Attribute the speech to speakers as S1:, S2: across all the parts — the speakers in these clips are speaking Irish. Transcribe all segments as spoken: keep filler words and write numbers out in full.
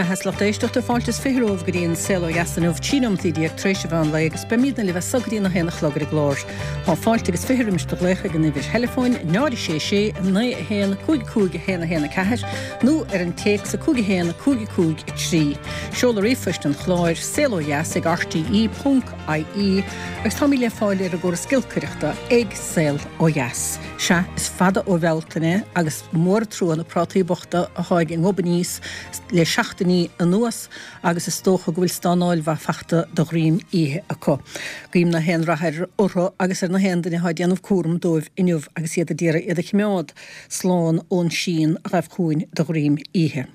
S1: mbeatha is lucht éisteachta fáilte is fiche romhaibh go dtí an Saol Ó Dheas inniu, trí nóimeataí déag tar éis an mheán lae agus beimidne libh as so go dtí a haon a chlog ar an gclár. Tá fáilte agus fiche roimis do ghlaoch ag an uimhir theileafóin náid a sé sé naoi a haon cúig cúig a haon a haon a ceathair nó ar an téacs a cúig a haon cúig cúig a trí. Seoladh ríomhphoist an chláir saol ó dheas ag rte ponc ie agus táimid le fáil ar an gcóras giolcaireachta ag Saol Ó Dheas. Sea, is fada ó Bhealtaine agus mór an trua na prátaí bochta atá ag gob aníos le seachtainí anuas agus is dócha go bhfuil stánáil mhaith fachta de dhroim oíche acu. Guím na haon rath ar orthu agus ar na haon duine atá ag déanamh cúram dóibh inniu agus iad ag iarraidh iad a choimeád slán ón síon a ghabh chugainn de dhroim oíche.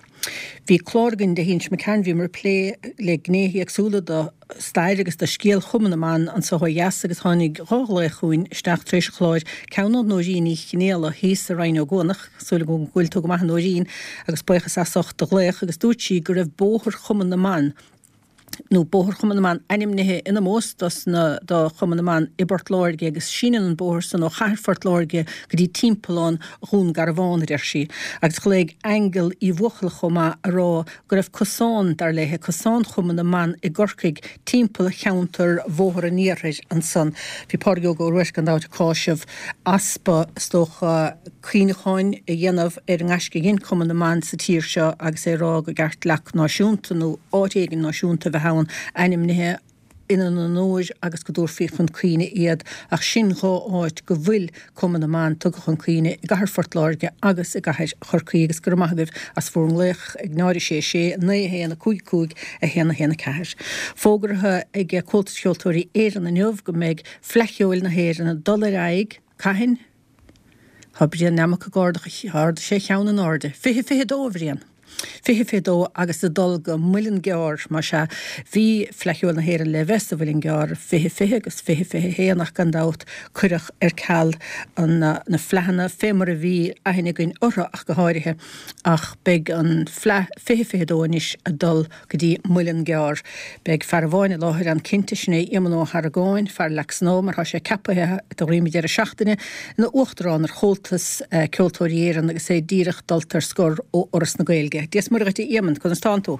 S1: Bhí clár againn Dé hAoine seo imigh tharainn, bhíomar ag plé le gnéithe éagsúla de stair agus de scéal Chumann na mBan anso ó dheas agus tháinig dhá ghlaoch chugainn isteach tar éis an chláir, ceann ó Nóirín Ní Chinéala thíos i Rinn Ó gCuanach, súil agam go bhfuil tú go maith a Nóirín agus buíochas as ucht do ghlaoch agus dúirt sí go raibh Bóthar Chumann na mBan nó Bóthar Chumann na mBan ainmnithe in ómós dos na do Chumann na mBan i bPort Láirge agus síneann an bóthar san ó chathair Phort Láirge go dtí timpeallán Dhún Garbhán, a deir sí. Agus ghlaoigh Aingeal Uí Bhuachalla chomh maith a rá go raibh cosán, dar léithe, cosán Chumann na mBan i gCorcaigh timpeall cheantar Bhóthar an Iarthair ansan. Bhí Pádraig Óg Ó Ruairc gan dabht ag cáiseamh easpa, is dócha, cuimhneacháin a dhéanamh ar an ngaisce a dhein Cumann na mBan sa tír seo agus é ag rá go gceart leac náisiúnta nó áit éigin náisiúnta a bheith ann ainmnithe ina n-onóir agus go dtabharfaí chun cuimhne iad ach sin dhá áit go bhfuil Cumann na mBan tugtha chun cuimhne, i gcathair Phort Láirge agus i gcathair Chorcaí agus go raibh maith agaibh as bhur nglaoch ag náid a sé sé naoi a haon a cúig cúig a haon a haon a ceathair. Fógartha ag Comhaltas Ceoltóirí Éireann inniu go mbeidh Fleadh Cheoil na hÉireann ag dul ar aghaidh, cathain? Tá Brian Nammock ag ardú ardaigh sé a cheann in airde. Fiche fiche dó, a Bhriain! Fiche fiche dó agus ag dul go Muileann gCearr, más ea. Bhí Fleadh Cheoil na hÉireann le bheith sa Mhuileann gCearr fiche fiche agus fiche fiche haon ach gan dabht cuireadh ar ceal an na fleadhanna fé mar a bhí aithne againn orthu ach go háirithe ach beidh an Fleadh fiche fiche dó anois ag dul go dtí Muileann gCearr. Beidh fear amháin i láthair ann cinnte, sin é Éamonn Ó hArgáin, fear Leac Snámha, mar tá sé ceapaithe de dhroim an deireadh seachtaine ina Uachtarán ar Chomhaltas Ceoltóirí Éireann agus é díreach dulta ar scor ó Fhoras na Gaeilge. Dia is Muire dhuit a Éamonn, conas tánn tú?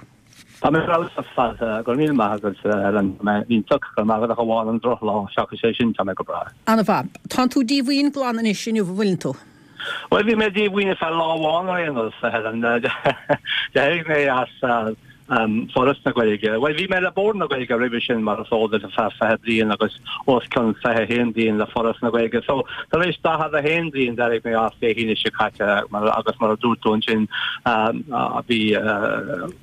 S2: Tá mé ar fheabhas ar fad, go raibh míle maith agat, a Helen. Tá mé iontach, go raibh maith agat ach amháin an drochlá, seachas é sin tá mé go breá.
S1: An-mhaith. Tánn tú díomhaoin glan anois inniu, an bhfuileann tú?
S2: Bhuel, bhí mé díomhaoin ar feadh lá amháin ar aon nós, a Helen. D'éirigh mé as Foras na Gaeilge. Bhuel, bhí mé le Bord na Gaeilge roimhe sin, mar is eol duit, ar feadh fiche bliain agus os cionn fiche a haon bliain le Foras na Gaeilge. So, tar éis daichead a haon bliain, d'éirigh mé as Dé hAoine seo caite agus mar a dúirt tú ansin, bhí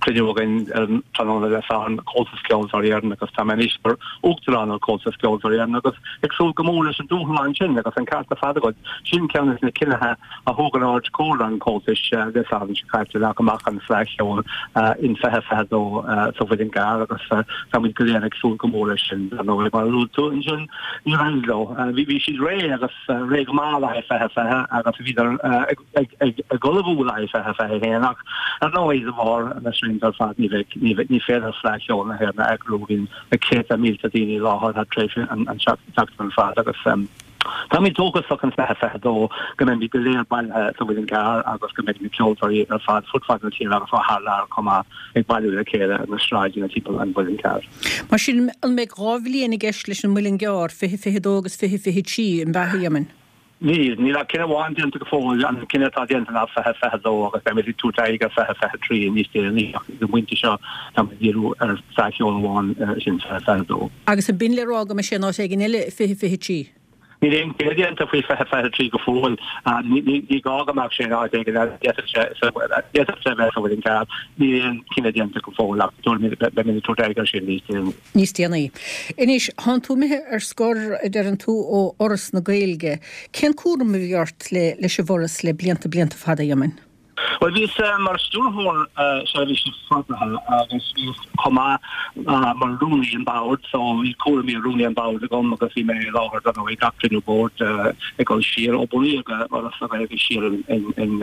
S2: cruinniú againn ar an tráthnóna Dé Sathairn, Comhaltas Ceoltóirí Éireann agus tá mé anois mar Uachtarán ar Chomhaltas Ceoltóirí Éireann agus ag súil go mór leis an dúshlán sin agus an ceart ar fad agat, sin ceann de na cinnithe a thóg an Ard-Chomhairle an Chomhaltais Dé Sathairn seo caite le go mbeadh an Fleadh Cheoil in fiche fiche dó sa Mhuileann gCearr agus tá muid go léir ag súil go mór leis sin. Dar ndóigh, mar a luaigh tú ansin, níor éirigh leo. Bhí siad réidh agus réidh go maith le haghaidh fiche fiche agus bhíodar ag ullmhú le haghaidh fiche fiche haon ach ar ndóigh de bharr na srianta ar fad ní bheidh, ní féidir Fleadh Cheoil na hÉireann a eagrú. Bhí na céadta mílte daoine i láthair thar tréimhse an tseachtain ar fad agus táimid dóchasach in fiche fiche dó go mbeimid go léir bailithe sa Mhuileann gCearr agus go mbeidh na ceoltóirí ar fad fud fad na tíre agus ó thar lear chomh maith ag bailiú le chéile ar na sráideanna timpeall an Mhuilinn Chearr.
S1: Mar sin, an mbeidh dhá bhliain i gceist leis an Muileann gCearr, fiche fiche dó agus fiche fiche trí, an ea, a Éamoinn?
S2: Níl. Níl ach cinneadh amháin déanta go fóill. An cinneadh atá déanta ná fiche fiche dó agus beimid ag tabhairt aghaidh ar fiche fiche trí níos déanaí ach ag an bpointe seo táimid ag díriú ar Fleadh Cheoil amháin, sin fiche fiche dó.
S1: Agus an binn le rá go mbeidh sé in áit éigin eile i fiche fiche trí?
S2: Níl aon chinneadh déanta faoi fiche fiche trí go fóill. Ní gá go mbeadh sé in áit éigin eile. D'fhéadfadh sé d'fhéadfadh sé a bheith sa Mhuileann gCearr. Níl aon chinneadh déanta go fóill ach beimid ag tabhairt aghaidh air sin níos déanaí.
S1: níos déanaí. Anois, thánn tú imithe ar scor, a deireann tú, ó Fhoras na Gaeilge. Cén cúram a bhí ort le leis an bhForas le blianta, blianta fada, a Éamoinn?
S2: Bhuel, bhíos mar Stiúrthóir Seirbhísí Forbartha agus bhíos chomh maith mar Rúnaí an Bhoird, so bhí cúraimí Rúnaí an Bhoird agam agus bhí mé i láthair dar ndóigh gach cruinniú boird ag dul siar ó bunaíodh Fhoras na Gaeilge siar in in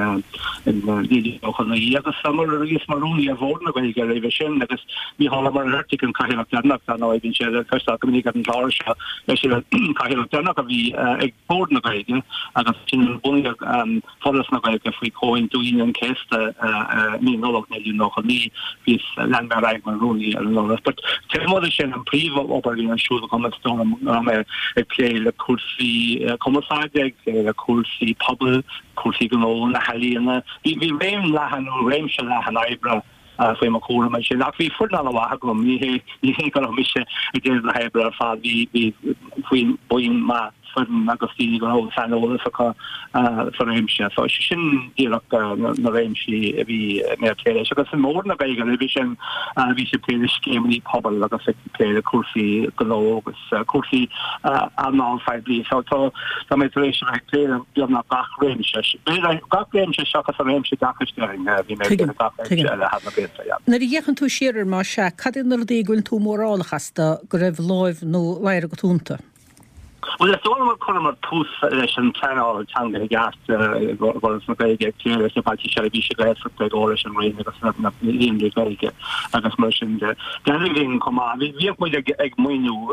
S2: in naoi déag nócha naoi agus mar bhíos mar Rúnaí ar Bhord na Gaeilge roimhe sin agus Mícheál Ó Muircheartaigh an cathaoirleach deireanach, dar ndóigh, bíonn sé le cloisteáil go minic ar an gclár seo, eisean an cathaoirleach deireanach a bhí ag Bord na Gaeilge agus ansin bunaíodh Foras na Gaeilge faoi Chomhaontú Aoine Aoine an Chéasta i mí Nollag naoi déag nócha naoi, bhíos, lean mé ar aghaidh mar rúnaí ar an Fhoras. But taobh amuigh de sin, an príomh-obair a bhí ar siúl agam is dóigh liom go raibh mé ag plé le cúrsaí cumarsáide, ag plé le cúrsaí pobail, cúrsaí gnó, na healaíona. Bhí bhí réim leathan nó réimse leathan oibre faoi mo chúram ansin. Ach bhí foireann an-mhaith agam, ní hé ní hé go raibh mise ag déanamh na hoibre ar fad, bhí bhí faoin buíon maith foireann agus daoine go raibh saineolas acu sa réimse. So sin díreach na réimsí a bhí mé ag plé leis. Agus i mBord na Gaeilge roimhe sin bhí sé ag plé le scéimeanna pobail agus ag plé le cúrsaí gnó agus cúrsaí earnáil phoiblí. So tá tá mé tar éis a bheith ag plé le beagnach gach réimse. B'fhéidir gach réimse seachas an réimse oideachais déarfainn, bhí mé ag plé le gach réimse eile thar na blianta, yeah.
S1: Nuair a fhéachann tú siar air más ea, cad iad na rudaí go bhfuil tú mórálach astu go raibh láimh nó ladhar agat iontu?
S2: Bhuel, is dóigh liom gur chuireamar tús leis an pleanáil teanga i gceart i bhForas na Gaeilge, ag plé leis na Bailte Seirbhíse Gaeltachta i gcomhar leis an Roinn agus na líonraí Gaeilge agus mar sin de. D'éirigh linn chomh maith. Bhíodh muid ag maoiniú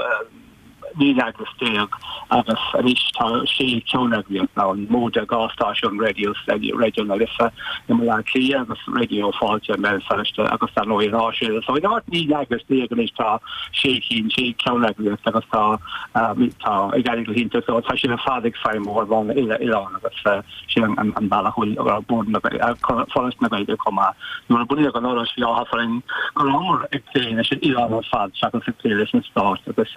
S2: naoi n-eagras déag agus anois tá sé cheanneagraíocht ann, móide dhá stáisiún raidió, Raidió na Life i mBaile Átha Cliath agus Raidió Fáilte i mBéal Feirste agus dar ndóigh an Áisín. So in áit naoi n-eagras déag anois tá sé cinn, sé cheanneagraíocht agus tá tá ag éirí go hiontach leo. Tá siad ar fad ag feidhmiú ar bhonn uile-oileáin agus sin an an bealach a bhfuil Bord na Foras na Gaeilge chomh maith. Nuair a bunaíodh an Fhoras bhí áthas orainn go rabhamar ag plé leis an oileán ar fad seachas ag plé leis an stát agus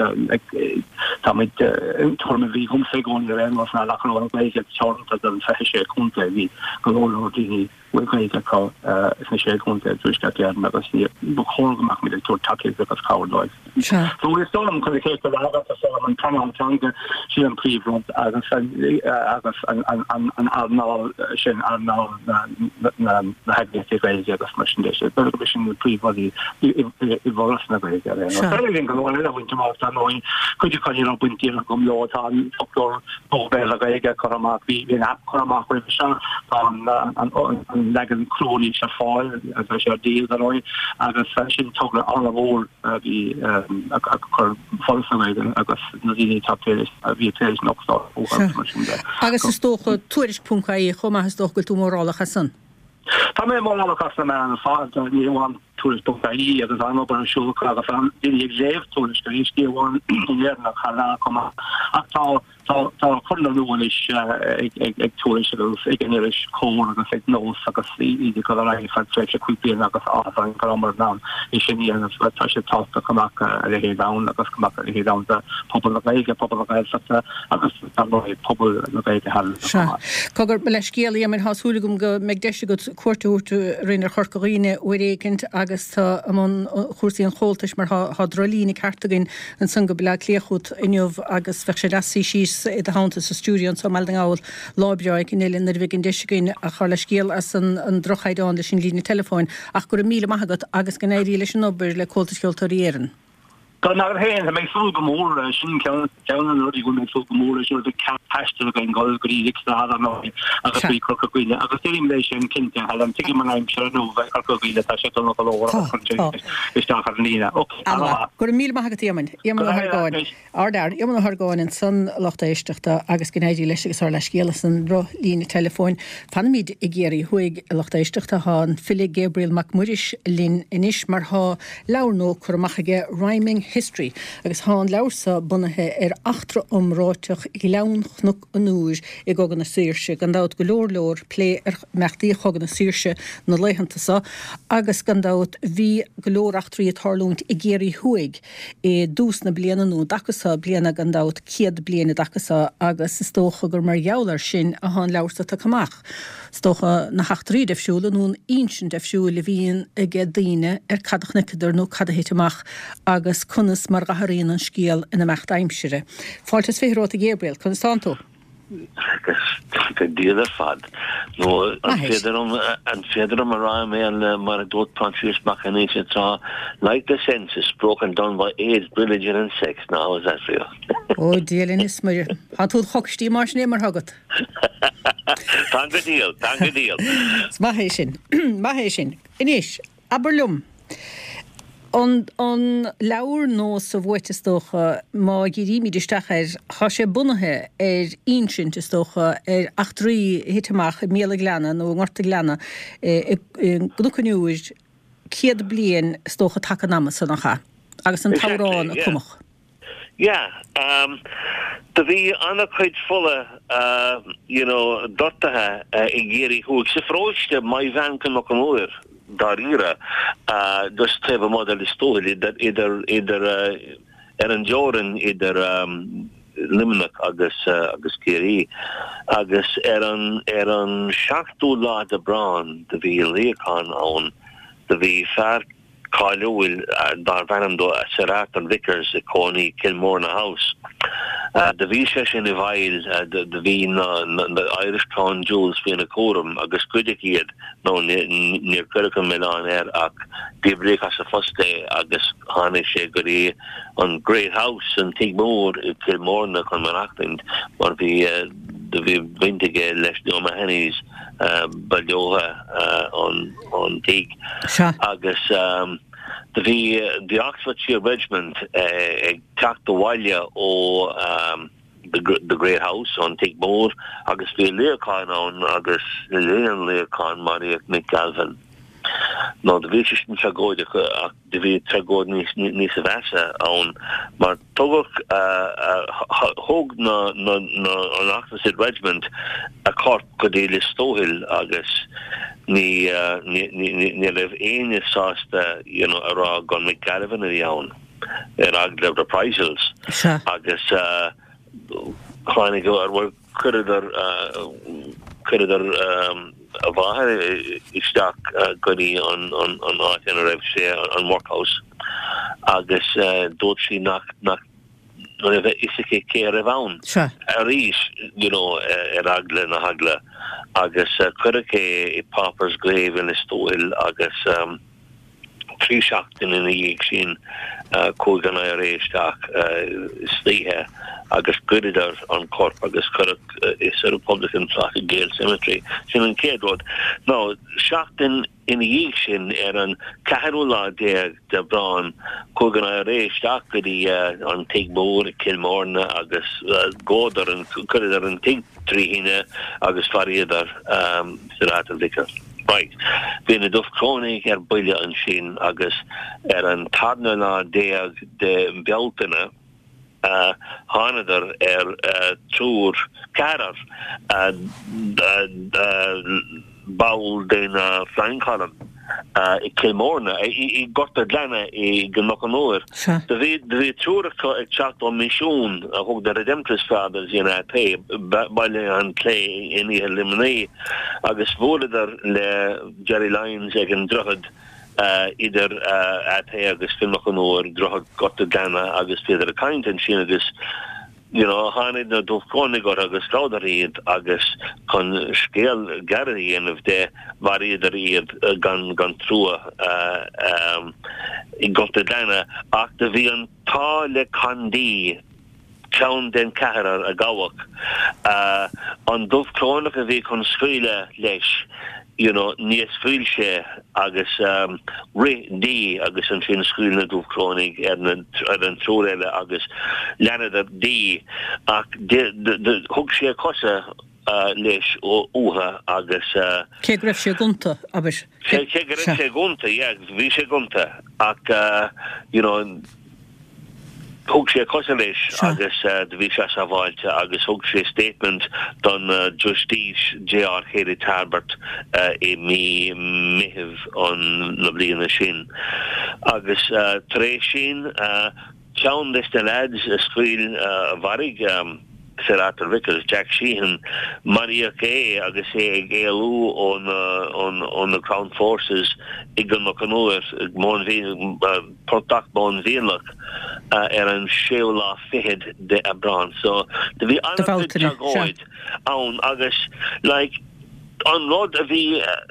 S2: táimid tuairim a bhí agamsa i gcónaí ar aon nós ná nach raibh an Ghaeilge teoranta don fiche sé contae, bhí go leor leor daoine a bhfuil Gaeilge acu sna sé chontae i dTuaisceart Éireann agus ní ba chóir go mbeadh muid ag tabhairt tacaíocht agus cabhair dóibh.
S1: Sea.
S2: So is dóigh liom chun a chéad a fhreagairt is dóigh liom an pleanáil teanga sin an príomhrud agus agus an an an an earnáil sin earnáil na na na heagraíochtaí Gaeilge agus mar sin de. B'fhéidir gurb sin na príomhrudaí i i bhForas na Gaeilge ar aon nós.
S1: Sea.
S2: D'éirigh linn go leor eile a bhaint amach dar ndóigh, cuid acu ní raibh baint díreach agam leo, tá an foclóir nua Béarla-Gaeilge curtha amach, bhí bhí an aip curtha amach roimhe seo, tá an an an leagan crua anois ar fáil agus tá sé ar díol dar ndóigh agus sin togra an-mhór a bhí a chuir Foras na Gaeilge agus na daoine atá ag plé leis a bhí ag plé leis an fhoclóir
S1: Sea.
S2: agus mar sin de.
S1: Agus is dócha Tuairisc ponc ie chomh maith is dócha go bhfuil tú mórálach as san.
S2: Tá mé mórálach as na meáin ar fad, ní hamháin Tuairisc ponc ie agus an-obair ar siúl acu agus an-daoine ag léamh Tuairisc arís, ní hamháin in Éirinn ach thar lear chomh maith. Ach tá tá tá cur na nua anois ag ag ag Tuairisc agus ag an iris Comhar agus ag Nós agus iad ag dul ar aghaidh feadh tréimhse cúig bliana agus áthas orainn go rabhamar in ann é sin a dhéanamh. Tá sé tábhachtach go mbeadh a leithéid ann agus go mbeadh a leithéid ann do phobal na Gaeilge, pobal na Gaeltachta agus dar ndóigh pobal na Gaeilge thar lear chomh
S1: Sea.
S2: maith.
S1: Cogar, mo leithscéal, a Éamoinn, tá súil agam go mbeidh deis agat cuairt a thabhairt orainn ar Chorca Dhuibhne uair éicint agus tú i mbun chúrsaí an Chomhaltais mar tá drochlíne ceart againn ansan go Baile Átha Cliath chugat inniu agus bheadh sé deas suí síos i do theannta sa stiúideo anso i mBaile na nGall lá breá éicint eile nuair a bheidh an deis againn ach ár leithscéal as an droch-chaighdeán leis an líne teileafóin ach go raibh míle maith agat agus go n-éirí leis an obair le Comhaltas Ceoltóirí Éireann.
S2: Go raibh maith agat féin, tá mé ag súil go mór, sin ceann ceann de na rudaí go bhfuil mé ag súil go mór leis nuair a bheidh cead taistil againn dul go dtí Lixnaw ar ndóigh agus go dtí Corca Dhuibhne agus déarfainn leis sin cinnte, Helen, tuigim an aimsir inniu i Corca Dhuibhne, tá sé dona go leor
S1: Tá,
S2: agus cuireann
S1: tá.
S2: sé isteach ar an líne. Ok,
S1: An-mhaith.
S2: an-mhaith.
S1: Go raibh míle maith agat, Éamoinn. Éamonn
S2: Go
S1: Ó
S2: raibh maith
S1: hArgáin.
S2: agat.
S1: Ardfhear, Éamonn Ó hArgáin ansan, a lucht éisteachta, agus go n-éirí leis agus ár leithscéal as an ndrochlíne teileafóin. Fanaimid i gCiarraí Thuaidh, a lucht éisteachta. Tá an file Gabriel Mac Muiris linn anois mar tá leabhar nua curtha amach aige, Rhyming History, agus tá an leabhar seo bunaithe ar eachtra iomráiteach Ghleann Chnoc an Iúir i gCogadh na Saoirse. Gan dabht go leor leor plé ar imeachtaí Chogadh na Saoirse na laethanta seo agus gan dabht bhí go leor eachtraí ag tarlúint i gCiarraí Thuaidh i dtús na bliana nó i dtaca seo bliana gan dabht, céad bliain i dtaca seo agus is dócha gur mar gheall air sin atá an leabhar seo tagtha amach. Is dócha na heachtraí deifriúla nó an insint deifriúil a bhíonn ag daoine ar cad a chonaiceadar nó cad a thit amach agus conas mar a athraíonn an scéal in imeacht aimsire. Fáilte is fiche romhat a Ghabriel, conas tánn tú?
S3: Agus go diail ar fad. Nó an
S1: Maith é.
S3: féidir liom an féidir liom a rá i mBéarla mar a dúirt Proinsias Mac Aonghusa tráth, Like the census broken down by age, religion and sex, now how's that for you?
S1: Ó Dia linn is Muire. Tá tú chocaistí mar sin é mar agat.
S3: Tá go diail, tá go diail.
S1: Is maith é sin. Maith é sin. Anois, abair liom. An an leabhar Nós a Bhuaite is dócha, má dhírímid isteach air, tá sé bunaithe ar insint is dócha ar eachtraí a thit amach i mBéal an Ghleanna nó i nGort an Ghleanna i gCnoc an Iúir céad bliain is dócha taca an ama san, nach ea? Agus an t-amhrán a cumadh.
S3: Yeah, um, do bhí an-chuid fola uh, you know, doirtithe uh, i gCiarraí Thuaidh. Sa pharóiste Maigh Mheáin-Cnoc an Iúir, dáiríre, uh, just taobh amuigh de Lios Tuathail idir, idir, idir uh, ar an dteorainn idir um, Luimneach agus uh, agus Ciarraí. Agus ar an, ar an seachtú lá d'Aibreán do bhí luíochán ann, do bhí fear cáiliúil darbh ainm dó Sir Arthur Vickers i cónaí Kilmorna House. Uh, do bhí sé sin i bhfeighil do bhí na, na, na Irish Crown Jewels faoina chúram agus goideadh iad nó níor cuireadh an milleán air ach díbríodh as a phost é agus tháinig sé go dtí an Great House an Tigh Mór i Kilmorna chun maireachtaint mar bhí do bhí baint aige leis na O'Mahony's uh, ba leotha uh, an, an tigh agus um, do bhí the Oxfordshire Regiment uh, ag teacht abhaile ó um, the, the Great House an Tigh Mór agus bhí luíochán ann agus le linn an luíocháin maraíodh Mick Galvin. Nó do bhí sé sin tragóideach ach do bhí tragóid níos níos mheasa ann mar tugadh thóg na na na an Oxfordshire Regiment a corp go dtí Lios Tuathail agus ní ní raibh éinne sásta you know, a rá gur Mick Galvin a bhí ann ar eagla reprisals agus uh, tháinig ar chuireadar chuireadar um, a mháthair isteach go dtí an an an áit ina raibh sé an workhouse agus uh, dúirt sí nach nach raibh a fhios aici cé a raibh ann arís you know ar eagla na heagla agus uh, cuireadh é i pauper's grave in Lios Tuathail agus um, trí seachtaine ina dhiaidh sin uh, chuaigh an I R A isteach uh, istoíche agus ghoideadar an corp agus cuireadh uh, is Republican Plot i Gaol Cemetery sin an chéad rud. Nó seachtain ina dhiaidh sin ar an ceathrú lá déag d'Aibreán chuaigh an I R A isteach go dtí uh, an Tigh Mór Kilmorna agus uh, dhódar an chuireadar an tigh trí thine agus mharaíodar um, Sir Arthur Vickers. Right. Bhí na Dubhchrónaigh ar buile ansin agus ar an tarna lá déag de Bealtaine uh, thánadar ar uh, triúr ceathrar uh, uh, ball den uh, Flying Column uh, i Kilmorna i, i Gort an Ghleanna i gCnoc an Iúir. Do bhí bhí triúr acu ag teacht ó misiún a thug the Redemptorist Fathers in A P Baile an Clé in iarthar Luimnigh agus bhuaileadar le Jerry Lyons ag an droichead uh, idir uh, A P agus Cnoc an Iúir, droichead Gort an Ghleanna agus bhíodar ag caint ansin agus you know tháinig na Dubhchrónaigh agus ghabhadar iad agus chun scéal gearr a dhéanamh de mharaíodar iad gan gan trua uh, um, i Gort an Ghleanna ach do bhí an t-ádh le Condee ceann den ceathrar a gabhadh uh, an Dubhchrónach a bhí chun scaoileadh leis you know níor scaoil sé agus um, rith Dee agus ansin scaoil na Dubhchrónaigh ar na ar an triúr eile agus leanadar Dee ach thug sé cosa uh, leis uathu agus uh,
S1: Cé go raibh sé gonta aber
S3: Cé go raibh sé gonta, yeah, bhí sé gonta ach uh, you know thug sé cosa leis agus uh, bhí sé sábháilte agus thug sé statement don uh, Justice J R Haley Tarbert uh, i mí Mheithimh an na bliana sin. Agus uh, tar éis sin uh, ceann des na lads a scaoil uh, mharaigh um, Sir Arthur Vickers, Jack Sheehan, maraíodh é agus é ag éalú ón ón na Crown Forces i gCnoc an Iúir portach Móin Mhiolach uh, ar an séú lá fichead de Aibreán. So do bhí an agus like an rud a bhí uh,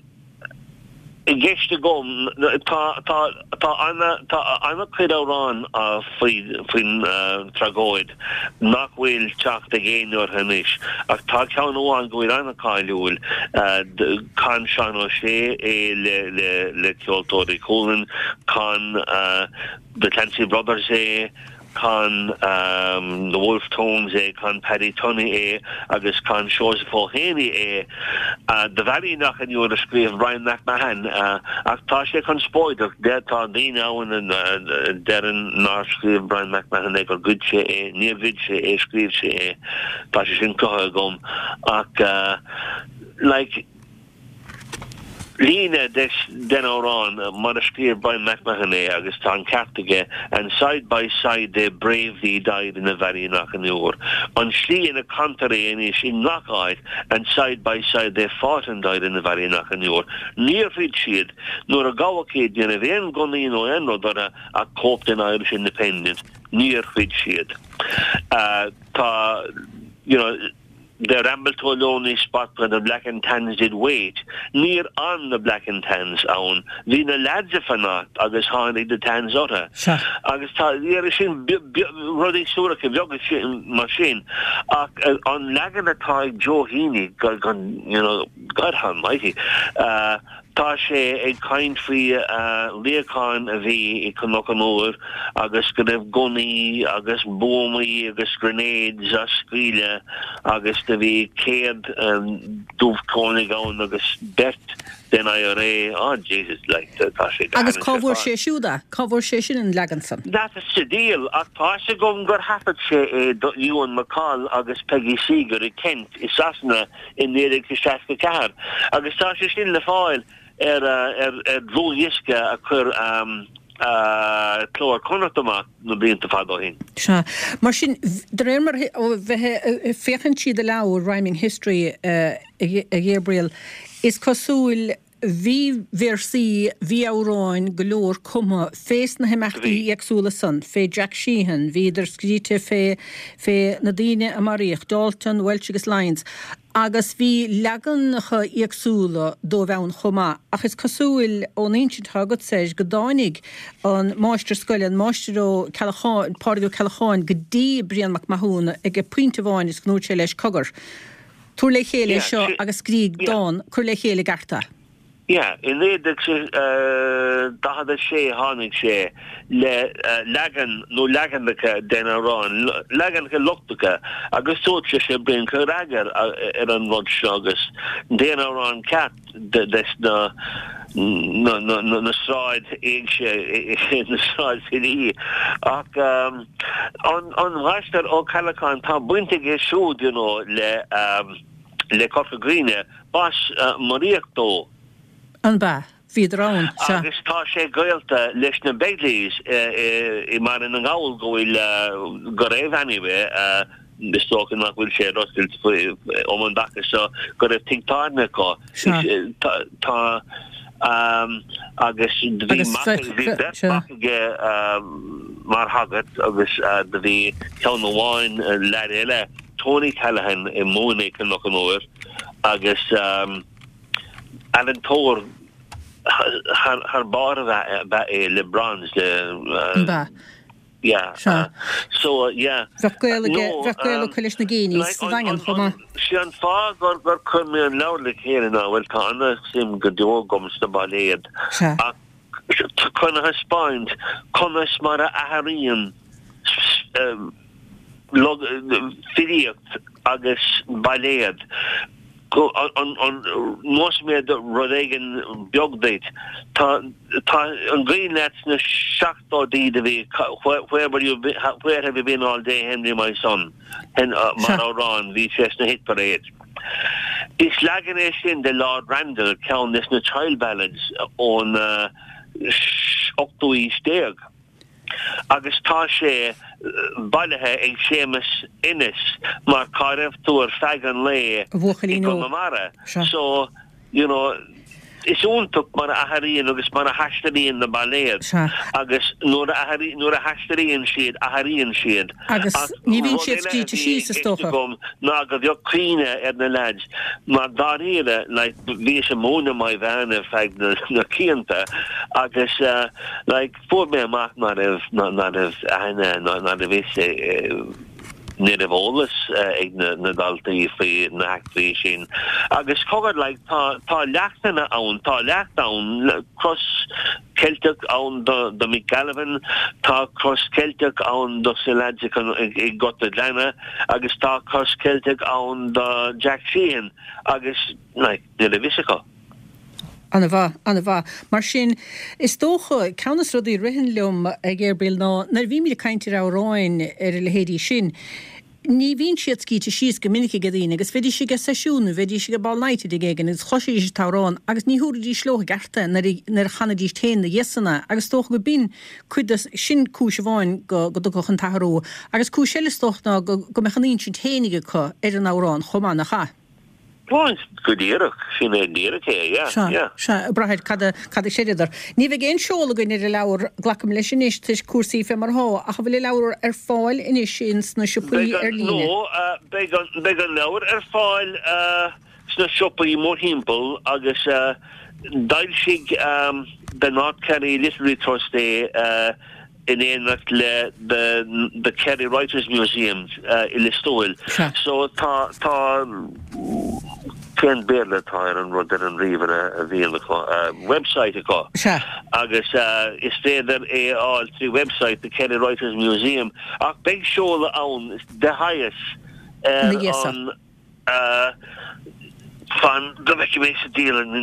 S3: i gceist agam tá tá tá ana tá ana chuid amhrán faoi faoin tragóid nach bhfuil teacht ag éinne orthu anois ach tá ceann amháin go bhfuil an-cháiliúil chan Seán Ó Sé é le le le Ceoltóirí Chualann chan The Clancy Brothers é chan um, the Wolfe Tones é chan Paddy Tunney é agus chan Seosamh Ó hÉanaí é uh, The Valley nach an a scríobh Brian McMahon uh, ach tá sé conspóideach de tá daoine ann a deireann nár scríobh Brian McMahon é gur ghoid sé é níor ghoid sé é scríobh sé é tá sé sin cruthaithe agam ach uh, like líne des den amhrán mar a scríobh Brian McMahon é agus tá an ceart aige and side by side they bravely died in the valley nach an Iúr. An slí ina cantar é anois i ngach áit and side by side they fought and died in the valley nach an Iúr. Níor throid siad nuair a gabhadh iad ní raibh aon gunnaí nó aon rud orthu ach cóip den Irish Independent níor throid siad. Uh, tá you know, They rambled to a lonely spot where the black and tans did wait. Níor fhan na black and tans ann. Bhí na lads ag fanacht agus tháinig the tans orthu. Agus tá sin rudaí suaracha beaga mar sin ach an leagan atá ag Joe Heaney gan you know, God almighty. Uh, tá sé ag caint faoi luíochán a bhí i Cnoc an Iúir agus go raibh gunnaí agus buamaí agus grenades á scaoileadh agus do bhí céad dubhchónaigh ann agus beirt den IRA oh Jesus like tá sé
S1: Agus cá bhfuair sé siúd é cá bhfuair sé sin an leagan san.
S3: That is the deal ach tá sé gom gur thaifead sé é Ewan McCall agus Peggy Seeger i Kent i Sasana in naoi déag seasca ceathair agus tá sé sin le fáil ar ar ar dlúthdhiosca a chuir um, uh, Cló Iar-Chonnacht amach na blianta fada ó shin.
S1: Sea. Mar sin de réir mar bheith féachaint tríd do leabhar Rhyming History uh, a Gabriel is cosúil bhí véarsaí bhí amhráin go leor cumtha fés na himeachtaí éagsúla san, fé Jack Sheehan, bhíodar scríte fé fé na daoine a maraíodh Dalton, Welch agus Lyons. Agus bhí leaganacha éagsúla dóibh ann chomh maith, ach is cosúil ón insint agatsa go dtáinig an máistir scoile an máistir Ó Ceallacháin Pádraig Ó Ceallacháin go dtí Brian Mac Mathúna ag pointe amháin is go ndúirt sé leis cogar. Tabhair le chéile seo agus scríobh dán cuir le chéile i gceart é.
S3: Yeah, i naoi déag daichead a sé tháinig sé le leagan nó leaganacha den amhrán, leaganacha lochtacha agus dúirt sé sé Brian cuir eagar ar an rud seo agus déan amhrán ceart des na na na na na sráid éigse na sráidfhilí ach um, an an Máistir Ó Ceallacháin tá baint aige siúd you know, le um, le Corca Dhuibhne b'as uh, Maraíoch dó.
S1: An ba bhíodar ann
S3: Agus tá sé gaolta leis na Begleys i mBaile na nGall go bhfuil go raibh anyway is dócha nach bhfuil sé ar oscailt um an dtaca seo go raibh tigh tábhairne acu tá agus bhí bhí aige mar shagart agus do bhí ceann amháin leaid eile Tony Callahan i múineadh Cnoc an Iúir agus ealaíontóir thar barr a bheith é le bronze le Yeah. Uh, so uh, yeah.
S1: Bheadh gaol bheadh gaol acu leis na Geaneys sa Daingean chomh maith.
S3: Sé an fáth gur gur chuir mé an leabhar le chéile ná bhfuil tá an-suim go deo agam sna bailéid. Ach chun a thaispeáint conas mar a athraíonn filíocht agus bailéad. Neosfaidh mé rud éigin beag duit. Tá an cuimhin leat sna seachtóidí a bhí where were you where have you been all day Henry my son mar amhrán bhí sé sna hit parade. Is leagan é sin de Lord Randall ceann des na child ballads ón ochtú aois déag. Agus tá sé bailithe ag Séamus Ennis mar cá raibh tú ar feadh an lae i Conamara. So, you know, Is iontach mar a athraíonn agus mar a thaistealaíonn na bailéid agus nuair a nuair a thaistealaíonn siad, athraíonn siad.
S1: Agus ní bhíonn siad scríte síos, is dócha.
S3: Ná go bheadh cuimhne ar na leaids mar dáiríre, like, bhíos ag múineadh Maigh Mheáin ar feadh na na cianta agus like fuair mé amach ná raibh ná raibh aithne ná raibh fhios ní raibh eolas ag na daltaí faoi na heachtraí sin. Agus cogar, like, tá, tá leachtanna ann, tá leacht ann, cros Ceilteach ann do, do Mick Gallivan, tá cros Ceilteach ann do na lads i nGort a' Ghleanna agus tá cros Ceilteach ann do Jack Sheehan agus, like, ní raibh fhios acu.
S1: Ana mhaith, ana mhaith. Mar sin, is dócha, ceann des rudaí a ritheann liom, a Ghabriel, ná nuair a bhímid ag caint ar amhráin ar a leithéidí sin, ní bhíonn siad scríte síos go minic ag daoine agus bheidís ag seisiún nó bheidís ag ball night i dtigh éigin agus chloisfidís an t-amhrán agus ní thabharfaidís leo i gceart é nuair a chanfaidís féin ina dhiaidh san é agus is dócha go b'in cuid de, sin cúis amháin go dtiocfadh an t-athrú agus cúis eile is dócha ná go mbeadh a n-insint féinig acu ar an amhrán chomh maith, nach ea?
S3: Bhuel, go díreach, sin é díreach é, yeah,
S1: Sea,
S3: yeah.
S1: sea, ag brath ar cad a, cad a chreideadar. Ní bheidh aon seoladh againn ar an leabhar, glacaim leis anois, toisc cúrsaí fé mar atá, ach an bhfuil an leabhar ar fáil anois ins na siopaí
S3: Beidh
S1: ar
S3: an,
S1: líne?
S3: no, eh, beidh an, beidh an leabhar ar fáil eh, sna siopaí mórthimpeall agus eh, d'fhoilsigh ehm, The North Kerry Literary Trust é eh, in éineacht le the the Kerry Writers Museum i Lios Tuathail. So tá tá cén Béarla atá ar an rud ar an ríomhaire a bhíonn acu website acu agus is féidir é a fháil trí website the Kerry Writers Museum ach beidh seoladh ann de shaghas ar an fan go bhfeicfidh mé sa dialann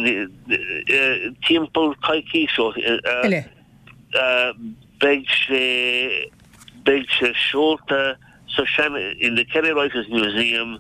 S3: timpeall coicís ó Beidh sé beidh sé seolta sa sean in the Kerry Writers Museum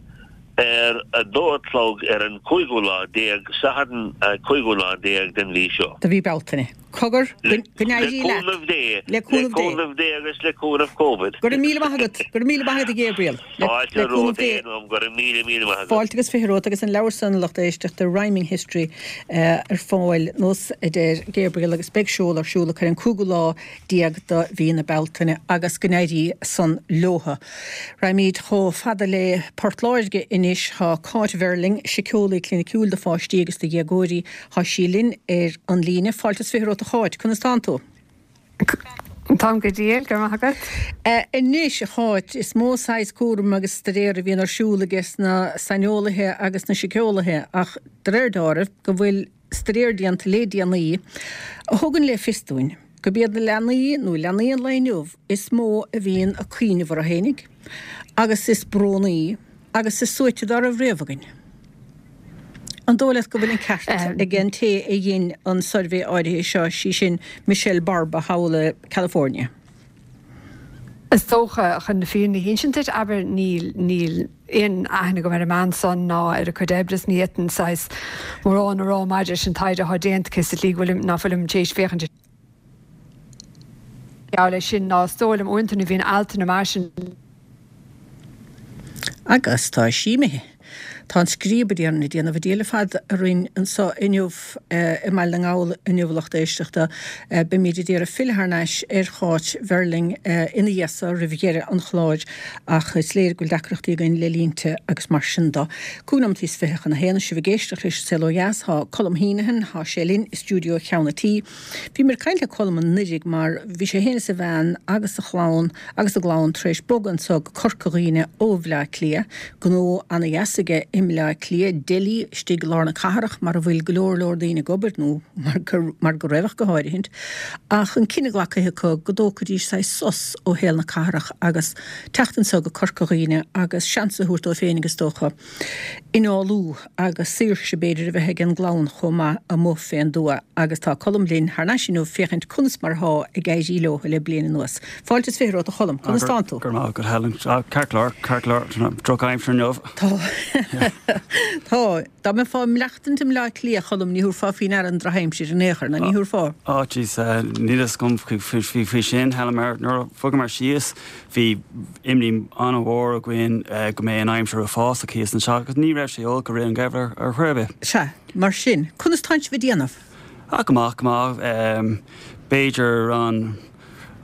S3: ar a dó a chlog ar an cúigiú lá déag, Satharn cúigiú lá déag den mhí seo.
S1: De mhí Bealtaine. Cogar, go go n-éirí
S3: Le
S1: leat.
S3: cúnamh Dé.
S1: Le
S3: Le
S1: cúnamh Dé.
S3: cúnamh Dé agus le cúnamh Covid.
S1: Go raibh míle maith agat. Go raibh míle maith agat a Ghabriel. Le
S3: Fáilte
S1: le cúnamh
S3: romhat
S1: Dé.
S3: Éanna, go raibh míle míle maith agat.
S1: Fáilte agus fiche romhat agus an leabhar san a lucht éisteachta Rhyming History ar fáil nós a deir Gabriel agus beidh seoladh ar siúl acu ar an cúigiú lá déag de mhí na Bealtaine agus go n-éirí san leotha. Raghaimid chomh fada le Port Láirge anois. Tá Cáit Verling, síceolaí cliniciúil do pháistí agus do dhéagóirí, tá sí linn ar an líne. Fáilte is fiche romhat a Cháit, conas tánn tú?
S4: Táim go diail, go raibh maith agat.
S1: Anois, a Cháit, is mó saghas cúraim agus staidéar a bhíonn ar siúl ages na saineolaithe agus na síceolaithe ach de réir dealraimh go bhfuil staidéar déanta le déanaí a thugann le fios dúinn gurb iad na leanaí nó leanaí an lae inniu is mó a bhíonn ag cuimhneamh orthu fhéinig agus is brónaí agus is suaite dá raibh riamh againn. An dóigh leat go bhfuil an ceart ag an té a dhein an suirbhé áirithe seo, sí sin Michelle Barba thall i California?
S4: Is dócha, chun na fírinne a hinsint duit, abair, níl, níl aon aithne agam ar an mbean san ná ar a cuid oibre is ní fhéadfainn saghas mórán a rá maidir leis an taighde atá déanta aici sa tslí go bhfuilim, ná fuilim tar éis féachaint geall leis sin ná is dóigh liom uaireanta nuair a bhíonn altanna mar sin.
S1: Agus tá sí imithe. Tá an scríob ag déanamh a diabhal ar fad orainn anseo inniu i mBaile na nGall inniu a lucht éisteachta. Beimid ag iarraidh filleadh thar n-ais ar Cháit Verling ina dhiaidh so roimh dheireadh an chláir ach is léir go bhfuil deacrachtaí againn le línte agus mar sin de. Cúig nóimeataí is fiche chun a haon, sibh ag éisteacht leis an Saol Ó Dheas. Tá Colm Heneghan, tá sé linn i stiúideo Cheann an Tí. Bhíomar ag caint le Colm anuraidh mar bhí sé féin is a bhean agus a chlann agus a gclann tar éis bogadh anso go Corca Dhuibhne ó Bhleá Cliath. Gnó ana dheas aige i mBleá Cliath, deli istigh i lár na cathrach mar a bhfuil go leor leor daoine ag obair, nó mar go mar go raibh ach go háirithint. Ach an cinneadh glactha acu go dtógfaidís saghas sos ó shaol na cathrach agus teacht anso go Corca Dhuibhne agus seans a thabhairt dóibh féinig is dócha. Imeallú agus saoirse b'fhéidir a bheith ag an gclann chomh maith amuigh fén dtuath agus tá Colm linn thar n-ais inniu féachaint conas mar atá ag éirí leo le bliain anuas. Fáilte is fiche romhat a Choilm, conas tánn tú?
S5: Go raibh maith agat Helen. Ceart go leor, ceart go leor, drochaimsir inniu.
S1: Tá. Tá, dá mbeifeá ag maireachtaint i mBleá Cliath, a Choilm, ní thabharfá faoi ndeara an drochaimsir in aon chor, ná ní thabharfá.
S5: Ó jeez, níl a fhios agam faoi sin, Helen, mar nuair a bhogamar síos bhí imní an-mhór againn go mbeidh an aimsir uafásach thíos anseo agus ní raibh sé olc i rith an gheimhridh ar chor ar bith.
S1: Sea, mar sin, conas tánn sibh ag déanamh?
S5: Ah, go maith, go maith. B'fhéidir an,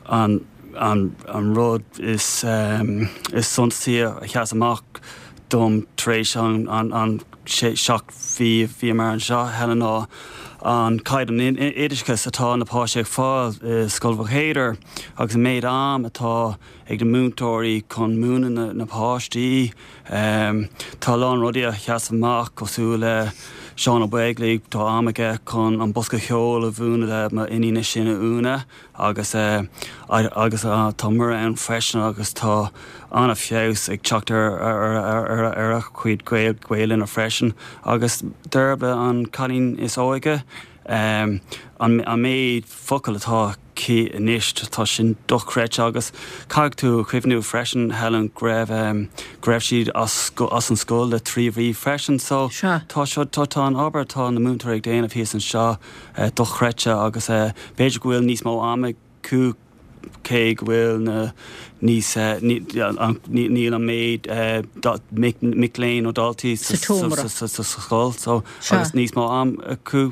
S5: an, an, an rud is, is suntasaí a sheas amach dom tar éis an, an, an sé, seacht mhí a bhíomar anseo, Helen, ná an caighdeán oideachais atá na páistí ag fáil i Scoil Mhaigh Chéadair agus an méid am atá ag na múinteoirí chun múineadh na, na páistí. Tá a lán rudaí a sheas amach cosúil le Seán Ó Beaglaoich, tá am aige chun an bosca ceoil a mhúineadh le m'iníon is sine Úna agus agus tá Muire ann freisin agus tá an-fheabhas ag teacht ar ar ar a cuid Gaelainne freisin agus Deirbhle an cailín is óige an an méid focal atá aici anois tá sin dochreidte agus caithfidh tú cuimhniú freisin Helen go raibh go raibh siad as as an scoil le trí mhí freisin so tá seo tá tá an obair atá na múinteoirí ag déanamh thíos anseo dochreidte agus b'fhéidir go bhfuil níos mó ama acu cé go bhfuil na níos níl an méid mic léinn nó daltaí sa scoil so agus níos mó am acu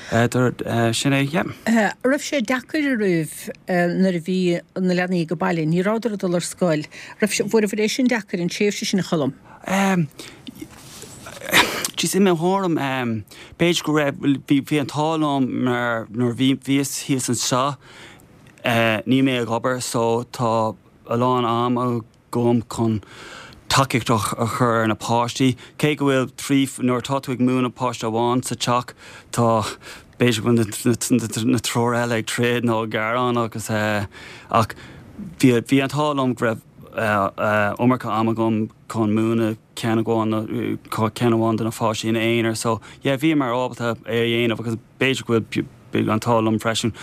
S5: sin é yeah.
S1: Raibh sé deacair oraibh nuair a bhí na leanaí ag baile, ní rabhadar ag dul ar scoil, raibh sé bhfuair é sin deacair an tréimhse sin a Choilm?
S5: Jeez, i mo thuairim b'fhéidir go raibh bhí bhí an t-ádh liom mar nuair bhí bhíos thíos anseo níl mé ag obair so tá a lán am agam chun tacaíocht a chur ar na páistí. Cé go bhfuil trí nuair atá tú ag múineadh páiste amháin sa teach tá b'fhéidir go bhfuil na triúr eile ag troid nó ag gearán agus ach bhí bhí an t-ádh liom go raibh iomarca am agam chun múineadh ceann amháin ceann amháin de na pháistí ina aonar so yeah bhíomar ábalta é a dhéanamh agus b'fhéidir go bhfuil an t-ádh liom freisin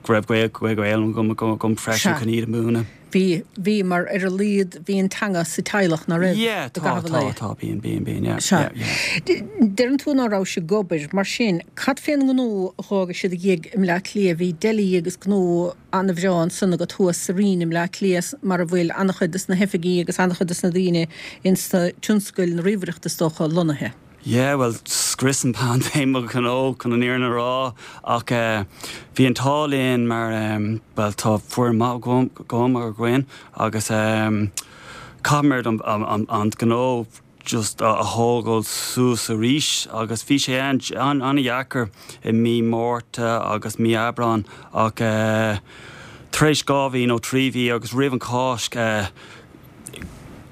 S5: go raibh Gaeilge agam agam freisin chun iad a mhúineadh.
S1: Bhí, bhí, mar ar a laghad bhí an teanga sa teaghlach, ná raibh?
S5: Yeah, tá, tá, tá, bíonn, bíonn, bíonn, yeah,
S1: Sea.
S5: yeah, yeah.
S1: Deireann tú ná raibh sibh ag obair, mar sin, cad fén ngnó a dh'fhága siad ina dhiaidh i mBleá Cliath? Bhí deli agus gnó an-bhreá ansan agat thuas sa Rinn i mBleá Cliath mar a bhfuil an-chuid des na hoifigí agus an-chuid des na daoine ins na tionscail na ríomhaireachta is dócha lonnaithe.
S5: Yeah, bhuel, scrios an paindéim mo ghnó chun an fhírinne a rá ach bhí an t-ádh linn mar bhuel tá foireann maith agam againn agus caithfimid an an gnó just a thógáil suas arís agus bhí sé an-dheacair i mí Márta agus mí Aibreán ach tar éis dhá mhí nó trí mhí agus roimh an Cháisc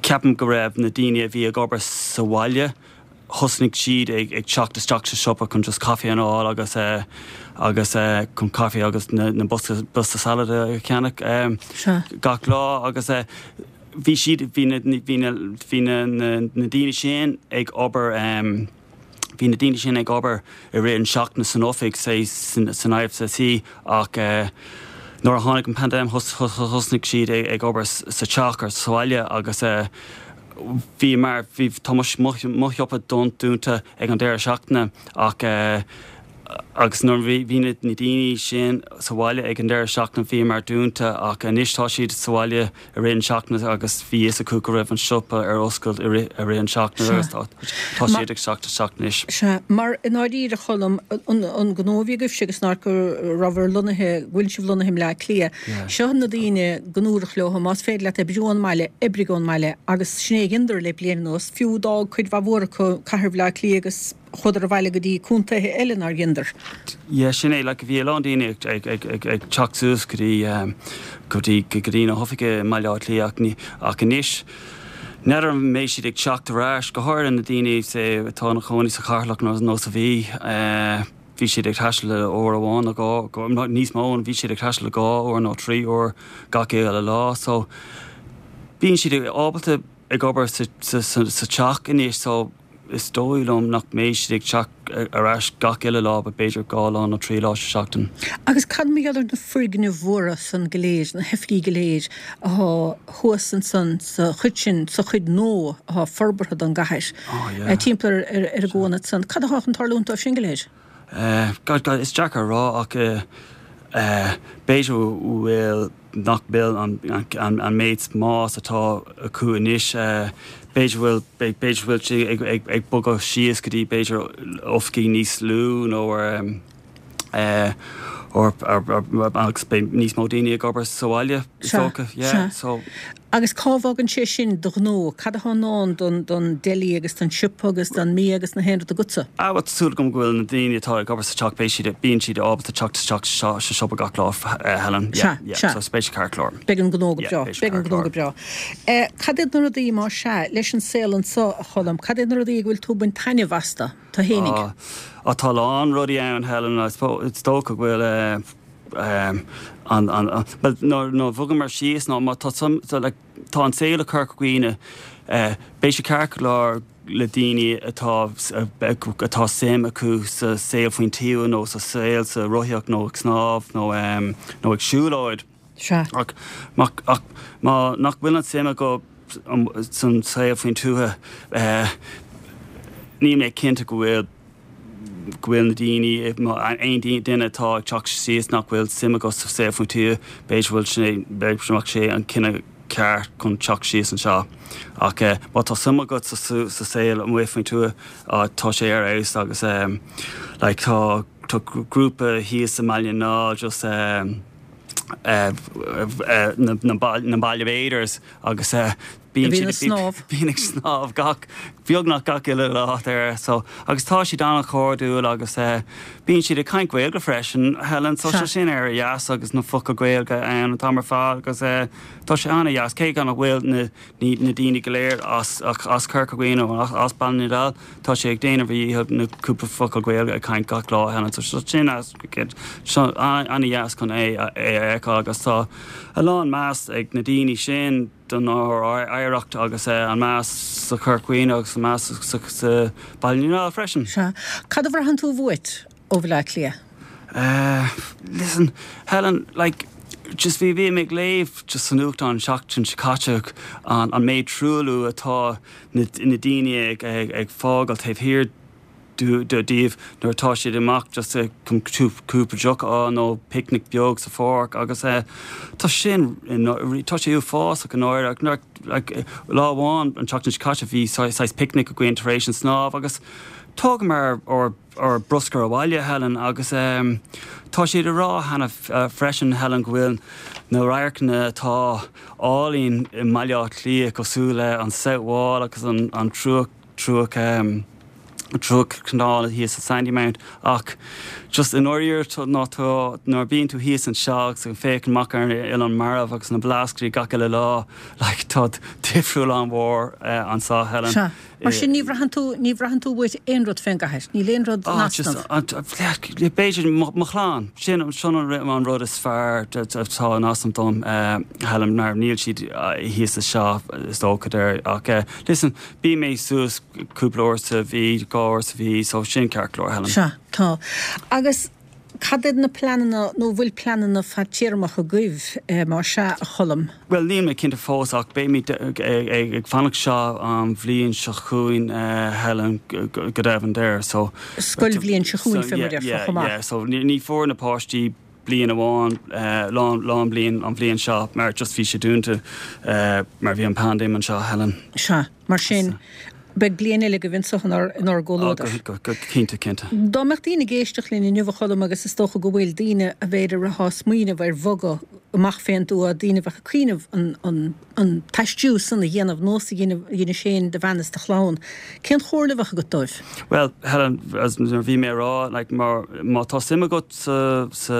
S5: ceapaim go raibh na daoine a bhí ag obair sa bhaile thosnaigh siad ag ag teacht isteach sa siopa chun just caife a fháil agus agus chun caife agus na na bosca bosca salad a cheannach gach lá agus bhí siad bhí na bhí na bhí na na daoine sin ag obair bhí na daoine sin ag obair i rith an seachtaine san oifig say san san IFSC ach nuair a tháinig an paindéim thosnaigh siad ag obair sa teach ar sa bhaile agus bhí mar bhí tá mo mo shiopa dúnta ag an deireadh seachtaine ach agus nuair bhí bhí na daoine sin sa bhaile ag an deireadh seachtaine bhíomar dúnta ach anois tá siad sa bhaile i rith an seachtaine agus bhí fhios acu go raibh an siopa ar oscailt i rith i rith an seachtaine agus tá tá siad ag teacht isteach anois.
S1: Sea, mar i ndáiríre a Choilm, an an gnó a bhí agaibhse agus nár go rabhabhair lonnaithe, go bhfuil sibh lonnaithe i mBleá Cliath, Seo na daoine go ndúradh leo, más féidir leat oibriú ón mbaile, oibrigh ón mbaile agus sin é a dheineadar le bliain anuas, fiú d'fhág cuid mhaith mhór acu cathair Bhaile Átha Cliath agus chuadar abhaile go dtí contaetha eile nár dheineadar.
S5: Yeah, sin é, like bhí a lán daoine ag ag ag ag ag teacht suas go dtí go dtí go dtí na hoifige i mBaile Átha Cliath ach ní ach anois n'fheadar an mbeidh siad ag teacht ar ais, go háirithe na daoine say atá ina chónaí sa Cheatharlach nó nó sa Mhí. Bhí siad ag taisteal uair amháin nó dhá, níos mó, bhí siad ag taisteal dhá uair nó trí uair gach uile lá. So bíonn siad ábalta ag obair sa, sa, sa, sa teach anois so is dóigh liom nach mbeidh siad ag teacht ar ais gach uile lá, but b'fhéidir dhá lá nó trí lá sa seachtain.
S1: Agus cad mar gheall ar na foirgnimh mhóra san go léir, na hoifigí go léir athá thuas ansan sa chuid sin, sa chuid nua athá forbartha don gcathair, timpeall ar ar an gcuan ansan, cad athá chun tarlúint dóibh sin go léir?
S5: God, God, is deacair a rá ach b'fhéidir go bhfuil, nach bhfuil an méid spáis atá acu anois, b'fhéidir bhfuil, b'fhéidir bhfuil sé ag bogadh síos go dtí b'fhéidir oifigí níos lú nó agus beidh níos mó daoine ag obair sa bhaile, is dócha, yeah, so.
S1: Agus cá bhfágann sé sin do ghnó? Cad atá i ndán don don deli agus don siopa agus don mbia agus na haon rud agatsa?
S5: Ah bhuel tá súil agam go bhfuil na daoine atá ag obair sa teach beidh siad bíonn siad ábalta teacht isteach sa siopa gach lá Helen.
S1: Sea,
S5: Yeah,
S1: sea.
S5: so beidh sé ceart go leor.
S1: Beidh an gnó go
S5: Yeah,
S1: breá.
S5: beidh sé
S1: Beidh an
S5: ceart
S1: gnó
S5: go
S1: go
S5: leor.
S1: breá. Eh, cad iad na rudaí má sea leis an saol anso a Cholm, cad iad na rudaí go bhfuil tú ag baint taitneamh astu, tú fhéinig?
S5: Ah, ah tá a lán rudaí ann Helen, I suppose, is dócha go bhfuil eh, an, an, an, well, nuair, nuair a bhogamar síos nó má tá some, so, like, tá an saol i Corca Dhuibhne, eh, beidh sé ceart go leor le daoine atá, atá suim acu sa saol faoin tuath nó sa saol sa rothaíocht nó ag snámh nó, em, nó ag siúlóid.
S1: Sea.
S5: Ach, má, ach má nach bhfuil an suim acu san saol faoin tuath, eh, níl mé cinnte go bhfuil go bhfuil na daoine, aon duine atá ag teacht síos nach bhfuil suim acu sa saol faoin tuath, b'fhéidir bhfuil sé, b'fhéidir nach sé an cinneadh ceart chun teacht síos anseo. Ach má tá suim agat sa sa saol amuigh faoin tuath, tá sé ar fheabhas agus like tá tá grúpa thíos i mBaile na nGall just na na Baile Bathers agus
S1: Bíonn siad ag snámh.
S5: Bíonn ag snámh gach, beagnach gach uile lá there so agus tá siad an-chairdiúil agus bíonn siad ag caint Gaeilge freisin Helen so tá sin ar dheas agus na focail Gaeilge ann an t-am ar fad agus tá sé an-dheas cé gan nach bhfuil na na daoine go léir as as Corca Dhuibhne nó as Baile na nGall tá sé ag déanamh a dhícheall na cúpla focal Gaeilge a caint gach lá Helen so sin an-dheas chun é a fheiceáil agus tá a lán meas ag na daoine sin don oidhreacht agus an meas sa Chorca Dhuibhne agus an meas sa Baile na nGall freisin.
S1: Sea. Cad a bhraitheann tú uait ó Bhaile Átha Cliath?
S5: Listen, Helen, like, just bhí bhí mé ag léamh just sa nuachtán an tseachtain seo caite an an méid truailliú atá na na daoine ag ag ag fágáil taobh thiar díobh nuair atá siad amach just chun cúpla deoch a fháil nó picnic beag sa pháirc agus tá sin tá sé uafásach i ndáiríre. Like lá amháin an tseachtain seo caite bhí saghas picnic againn tar éis an snámh agus thógamar ár ár bruscar abhaile Helen agus tá siad ag rá cheana freisin Helen go bhfuil na radharcanna atá álainn i mBaile Átha Cliath cosúil le an South Wall agus an an Triúch Triúch Triúch Canal thíos sa Sandymount ach just i ndáiríre ná tá nuair a bíonn tú thíos anseo agus ag féachaint amach ar an Oileán Marbh agus na Blascaodaí gach uile lá like tá difriúil an-mhór anseo Helen.
S1: Sea. Mar sin ní bhraitheann tú ní bhraitheann tú uait aon rud fén gcathair, níl aon rud in
S5: Ah just
S1: easnamh.
S5: b'fhéidir mo chlann sin sin an rud is fearr atá in easnamh dom Helen mar níl siad thíos anseo is dócha there ach listen bíonn mé suas cúpla uair sa mhí dhá uair sa mhí so sin ceart go leor Helen.
S1: Sea, tá. Agus cad iad na pleananna nó bhfuil pleananna fadtéarmacha agaibh má sea, a Cholm?
S5: Bhuel níl mé cinnte fós ach beimid ag fanacht seo an bhliain seo chugainn Helen go deimhin there so.
S1: Scoilbhliain seo chugainn fé mar a déarfá chomh maith.
S5: Yeah, so ní fuair na páistí bliain amháin lán lán bliain an bhliain seo mar just bhí sé dúnta mar bhí an paindéim anseo Helen.
S1: Sea, mar sin beidh bliain eile agaibh anseo inár inár gcomhluadar.
S5: Go go cinnte cinnte.
S1: Dá mbeadh daoine ag éisteacht linn inniu a Cholm agus is dócha go bhfuil daoine a b'fhéidir atá ag smaoineamh ar bhogadh amach fén dtuath, daoine a bheadh ag cuimhneamh an an an t-aistriú san a dhéanamh nós a dhéanamh a dheinis féin, do bhean is do chlann, cén chomhairle a bheadh agat dóibh?
S5: Bhuel, Helen, as mar bhí mé a rá, like, mar má tá suim agat sa sa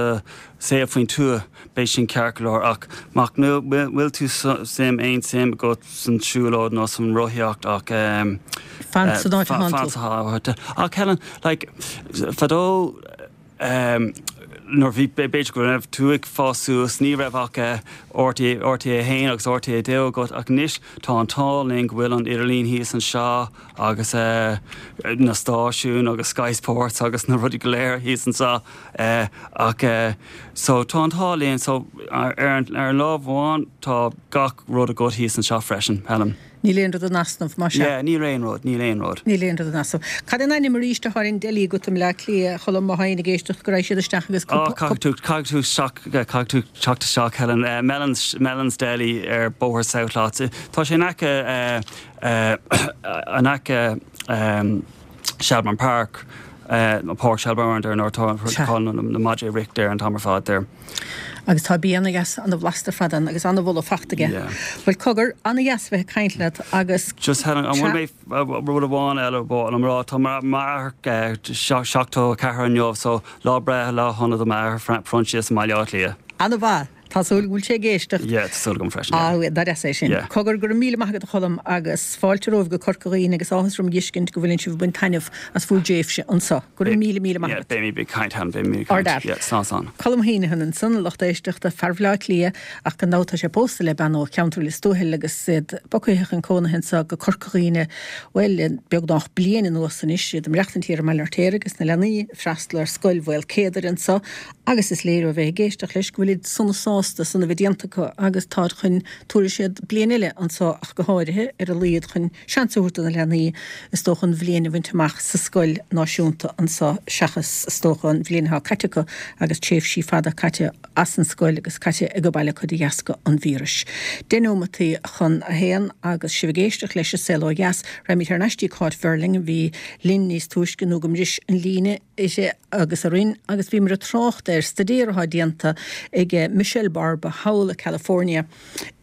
S5: saol faoin tuath, beidh sin ceart go leor ach má bhfuil tú suim aon suim agat san siúlóid nó san rothaíocht ach ehm
S1: Fan san áit atá
S5: fan
S1: tú.
S5: sa áit. Ach Helen, like, fadó ehm nuair bhí b'fhéidir go raibh tú ag fás suas ní raibh ach RTÉ RTÉ a haon agus RTÉ dó agat ach anois tá an t-ádh linn go bhfuil an idirlíon thíos anseo agus na stáisiúin agus Sky Sports agus na rudaí go léir thíos anseo ach so tá an t-ádh linn so ar ar an lámh amháin tá gach rud agat thíos anseo freisin Helen.
S1: Níl aon rud in easnamh mar sin.
S5: Yeah, níl aon rud, níl aon rud.
S1: Níl aon rud in easnamh. Cad é an ainm arís atá ar an deli agat i mBleá Cliath, a Choilm, má tá éinne ag éisteacht go raghaidh siad isteach agus
S5: Oh, caithfidh tú, caithfidh tú isteach, caithfidh tú teacht isteach Helen. Uh, Mellon's, Mellon's Deli ar Bóthar South Lots. Tá sé in aice, uh, uh, in aice um, Shelbourne Park, uh, Páirc Shelbourne ar nuair tá na madraí ag rith ar an t-am ar fad there.
S1: Agus tá bia ana-dheas ana-bhlasta fad ann agus ana-bholadh fachta aige.
S5: Yeah.
S1: Bhuel cogar, ana-dheas bheith ag caint leat agus
S5: Just Helen, an bhfuil mé rud amháin eile bá an rá tá m'athair seachtó ceathair inniu so lá breithe lá shona do m'athair Proinsias i mBaile Átha Cliath.
S1: Ana-mhaith. Tá súil go bhfuil sé ag éisteacht.
S5: Yeah, tá súil agam freisin.
S1: Ah, dar deas é sin.
S5: Yeah.
S1: Cogar go raibh míle maith agat a Choilm agus fáilte romhaibh go Corca Dhuibhne agus áthas orm a fheiscint go bhfuileann sibh ag baint taitneamh as bhur dtréimhse anseo. Go raibh míle míle maith
S5: Yeah,
S1: agat.
S5: beidh mé ag caint Helen, beidh mé ag
S1: Ard
S5: caint.
S1: fhear.
S5: Yeah, slán slán.
S1: Colm Heneghan ansan lucht éisteachta fear Bhaile Átha Cliath ach gan dabht tá sé pósta le bean ó cheantar Lios Tuathail agus iad bogtha chun cónaithe anseo go Corca Dhuibhne bhuel beagnach bliain anuas anois iad ag maireachtaint thiar i mBaile an Fheirtéaraigh agus na leanaí freastal ar scoil Mhaolcéadair anseo agus is léir ó bheith ag éisteacht leis go bhfuil sona sásta san a bheith déanta acu agus táid chun tabharfaidh siad bliain eile anseo ach go háirithe ar a laghad chun seans a thabhairt do na leanaí is dócha an bhliain a bhaint amach sa scoil náisiúnta anseo seachas is dócha an bhliain atá caite acu agus tréimhsí fada caite as an scoil agus caite ag baile acu de dheasca an víris. Deich nóimeataí chun a haon agus sibh ag éisteacht leis an Saol Ó Dheas, raghaimid thar n-ais dtí Cáit Verling bhí linn níos túisce nó go mbris an líne ise agus a rinn agus bhí mar a trácht ar staidéar atá déanta ag Michelle Barba thall i California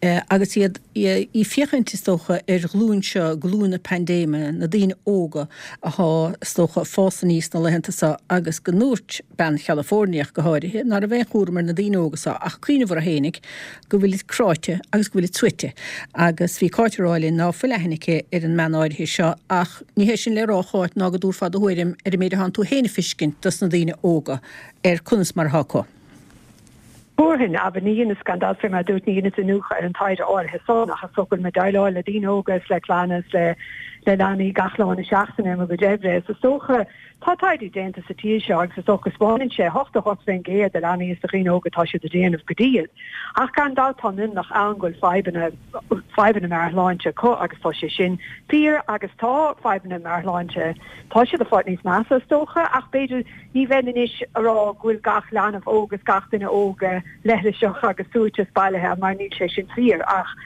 S1: eh, agus iad í féachaint is dócha ar ghlúin seo glúin na paindéime na daoine óga atá is dócha fás aníos na laethanta seo agus go ndúirt bean Californiach go háirithe ná raibh aon chúram ar na daoine óga seo ach cuimhneamh orthu fhéinig go bhfuil cráite agus go bhfuil suite agus bhí Cáit ag rá linn ná fuil aithne aici ar an mbean áirithe seo ach ní hé sin le rá Cáit ná go dtabharfá do thuairim ar an méid atánn tú féin a fheiscint dos na daoine óga ar conas mar atá acu.
S4: Thabharfainn abair ní dheineas gan dabht fé mar dúirt ní dheineas iniúchadh ar an taighde áirithe san ach is dócha go bhfuil mé ag déileáil le daoine óga is le clanna is le le leanaí gach lá na seachtaine i mo chuid oibre. Is is dócha tá taighde déanta sa tír seo agus is dócha spáineann sé hocht a hocht faoin gcéad de leanaí is de dhaoine óga tá siad ag déanamh go diail. Ach gan dabht tá mionlach ann go bhfuil fadhbanna fadhbanna meabhairshláinte acu agus tá sé sin fíor agus tá fadhbanna meabhairshláinte tá siad ag fáil níos measa is dócha ach b'fhéidir ní bheinn anois ag rá go bhfuil gach leanbh óg agus gach duine óg leithliseach agus suaite is bailithe mar níl sé sin fíor ach